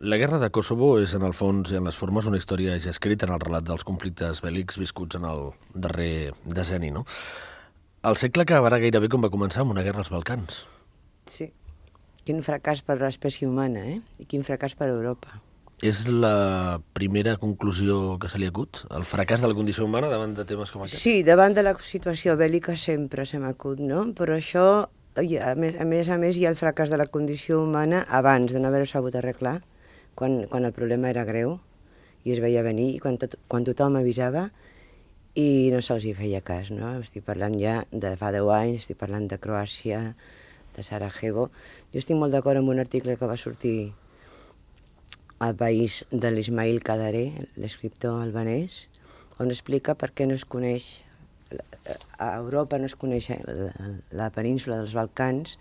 La guerra de Kosovo és, en el fons i en les formes, una història ja escrita en el relat dels conflictes bèl·lics viscuts en el darrer decenni, no? El segle acabarà gairebé com va començar, amb una guerra als Balcans. Sí. Quin fracàs per l'espècie humana, I quin fracàs per Europa. És la primera conclusió que se li acut? El fracàs de la condició humana davant de temes com aquests? Sí, davant de la situació bèl·lica sempre se m'acut, no? Però això, a més, hi ha el fracàs de la condició humana abans de no haver-ho sabut arreglar, quan el problema era greu i es veia venir, i quan tothom avisava i no se'ls hi feia cas, no? Estic parlant ja de fa 10 anys, estic parlant de Croàcia, de Sarajevo. Jo estic molt d'acord amb un article que va sortir al País de l'Ismail Kadaré, l'escriptor albanès, on explica per què no es coneix, a Europa no es coneix la península dels Balcans,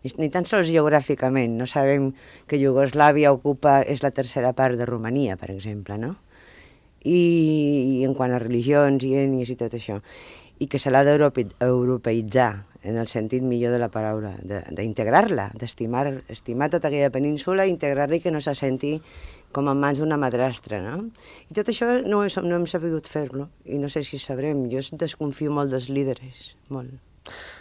ni tan sols geogràficament. No sabem que Iugoslàvia és la tercera part de Romania, per exemple, no? I en quant a religions i ètnies i tot això. I que se l'ha d'europeïtzar, en el sentit millor de la paraula, d'integrar-la, estimar tota aquella península, integrar-la i que no se senti com en mans d'una madrastra, no? I tot això no hem sabut fer-lo, i no sé si sabrem. Jo desconfio molt dels líders, molt.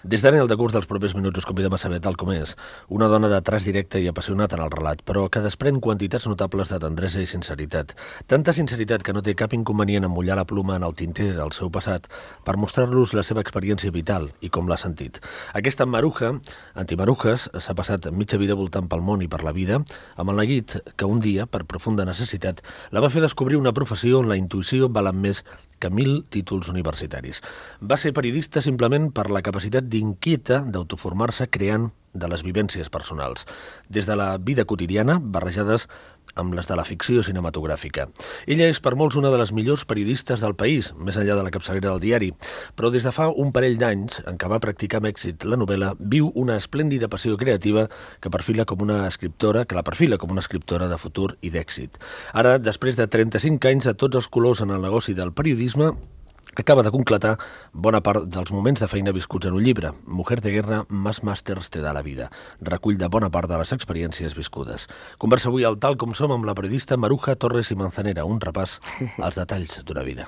Des d'ara, en el decurs dels propers minuts, us convidem a saber tal com és. Una dona de traç directe i apassionat en el relat, però que desprèn quantitats notables de tendresa i sinceritat. Tanta sinceritat que no té cap inconvenient en mullar la pluma en el tinter del seu passat per mostrar-los la seva experiència vital i com l'ha sentit. Aquesta Maruja, antimarujes, s'ha passat mitja vida voltant pel món i per la vida, amb el neguit que un dia, per profunda necessitat, la va fer descobrir una professió on la intuïció val més que 1000 títols universitaris. Va ser periodista simplement per la capacitat d'inquieta d'autoformar-se creant de les vivències personals, des de la vida quotidiana, barrejades amb les de la ficció cinematogràfica. Ella és per molts una de les millors periodistes del país, més enllà de la capçalera del diari, però des de fa un parell d'anys, en què va practicar amb èxit la novel·la, viu una esplèndida passió creativa que la perfila com una escriptora de futur i d'èxit. Ara, després de 35 anys de tots els colors en el negoci del periodisme, acaba de concretar bona part dels moments de feina viscuts en un llibre, Mujer de guerra, más màsters te da la vida, recull de bona part de les experiències viscudes. Conversa avui al Tal com som amb la periodista Maruja Torres i Manzanera, un repàs als detalls d'una vida.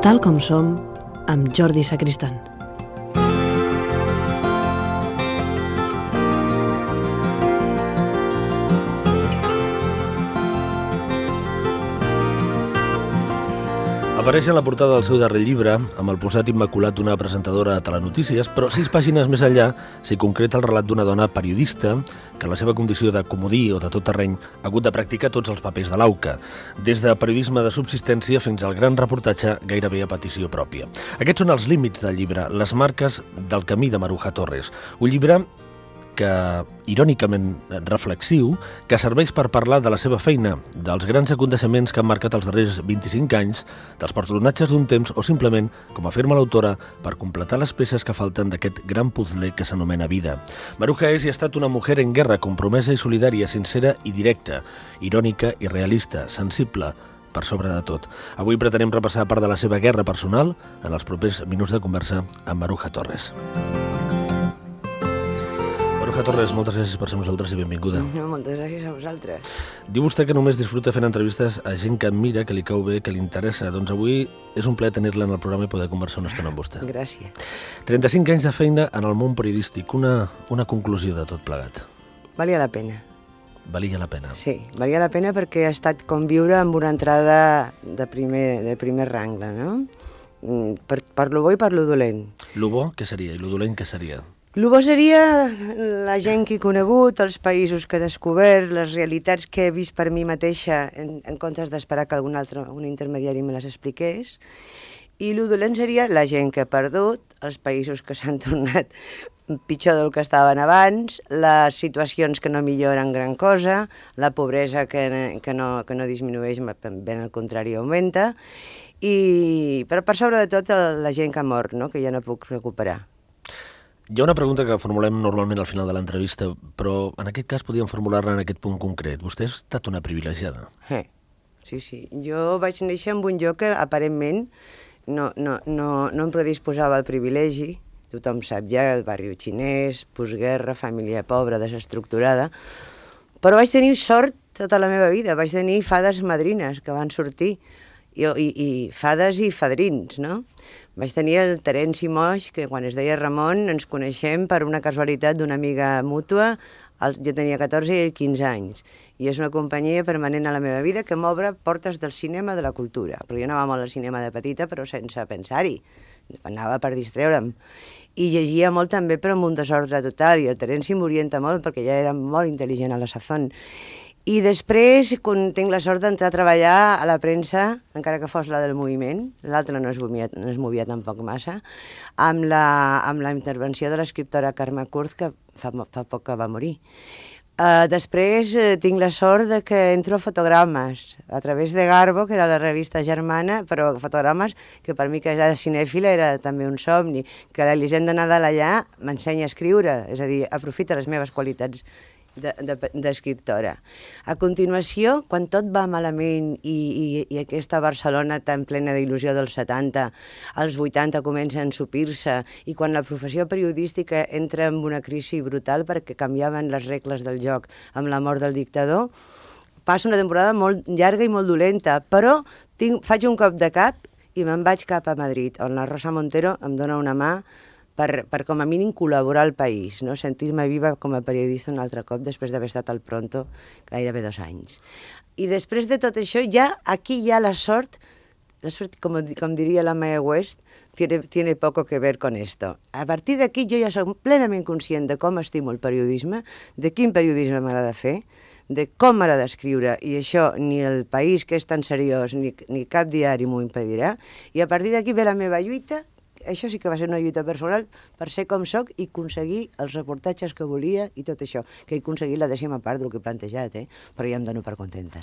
Tal com som, amb Jordi Sacristán. Apareix en la portada del seu darrer llibre, amb el posat immaculat d'una presentadora de telenotícies, però 6 pàgines més enllà s'hi concreta el relat d'una dona periodista que en la seva condició de comodí o de tot terreny ha hagut de practicar tots els papers de l'auca, des de periodisme de subsistència fins al gran reportatge gairebé a petició pròpia. Aquests són els límits del llibre, les marques del camí de Maruja Torres, un llibre que, irònicament reflexiu, que serveix per parlar de la seva feina, dels grans aconteixements que han marcat els darrers 25 anys, dels personatges d'un temps o simplement, com afirma l'autora, per completar les peces que falten d'aquest gran puzzle que s'anomena vida. Maruja és i ha estat una mujer en guerra, compromesa i solidària, sincera i directa, irònica i realista, sensible, per sobre de tot. Avui pretenem repassar part de la seva guerra personal en els propers minuts de conversa amb Maruja Torres. Maruja Torres, moltes gràcies per ser amb nosaltres i benvinguda. Moltes gràcies a vosaltres. Diu vostè que només disfruta fent entrevistes a gent que admira, que li cau bé, que li interessa. Doncs avui és un plaer tenir-la en el programa i poder conversar una estona amb vostè. Gràcies. 35 anys de feina en el món periodístic. Una conclusió de tot plegat. Valia la pena. Valia la pena. Sí, valia la pena perquè ha estat com viure amb una entrada de primer rangle, no? Per lo bo i per lo dolent. Lo bo, què seria? I lo dolent, què seria? El bo seria la gent que he conegut, els països que he descobert, les realitats que he vist per mi mateixa en comptes d'esperar que un intermediari me les expliqués. I el dolent seria la gent que he perdut, els països que s'han tornat pitjor del que estaven abans, les situacions que no milloren gran cosa, la pobresa que no disminueix, ben al contrari augmenta, però per sobre de tot la gent que ha mort, no? Que ja no puc recuperar. Hi ha una pregunta que formulem normalment al final de l'entrevista, però en aquest cas podíem formular-la en aquest punt concret. Vostè ha estat una privilegiada. Sí. Jo vaig néixer en un lloc que aparentment no em predisposava al privilegi. Tothom sap ja, el barri xinès, postguerra, família pobra, desestructurada. Però vaig tenir sort tota la meva vida. Vaig tenir fades madrines que van sortir. I fades i fadrins, no? Vaig tenir el Terenci Moix, que quan es deia Ramon ens coneixem per una casualitat d'una amiga mútua. Jo tenia 14 i ell 15 anys. I és una companyia permanent a la meva vida que m'obre portes del cinema, de la cultura. Però jo anava molt al cinema de petita, però sense pensar-hi. Anava per distreure'm. I llegia molt també, però amb un desordre total. I el Terenci m'orienta molt perquè ja era molt intel·ligent a la sazón. I després, quan tinc la sort d'entrar a treballar a la premsa, encara que fos la del moviment, l'altra no es movia tampoc massa, amb la intervenció de l'escriptora Carme Kurz, que fa poc que va morir. Després tinc la sort de que entro a Fotogrames, a través de Garbo, que era la revista germana, però Fotogrames, que per mi que era cinèfila era també un somni, que l'Elisenda Nadal allà m'ensenya a escriure, és a dir, aprofita les meves qualitats d'escriptora. A continuació, quan tot va malament i aquesta Barcelona tan plena d'il·lusió dels 70, als 80 comença a ensopir-se, i quan la professió periodística entra en una crisi brutal perquè canviaven les regles del joc amb la mort del dictador, passa una temporada molt llarga i molt dolenta, però faig un cop de cap i me'n vaig cap a Madrid, on la Rosa Montero em dona una mà per com a mínim col·laborar al país, no? Sentir-me viva com a periodista un altre cop després d'haver estat al Pronto gairebé 2 anys. I després de tot això, aquí hi ha la sort, com diria la Mae West, tiene poco que ver con esto. A partir d'aquí jo ja soc plenament conscient de com estimo el periodisme, de quin periodisme m'agrada fer, de com m'agrada escriure, i això ni el País, que és tan seriós, ni cap diari m'ho impedirà, i a partir d'aquí ve la meva lluita. Això sí que va ser una lluita personal per ser com soc i aconseguir els reportatges que volia i tot això, que he aconseguit la 10ª part del que he plantejat, però ja em dono per contenta.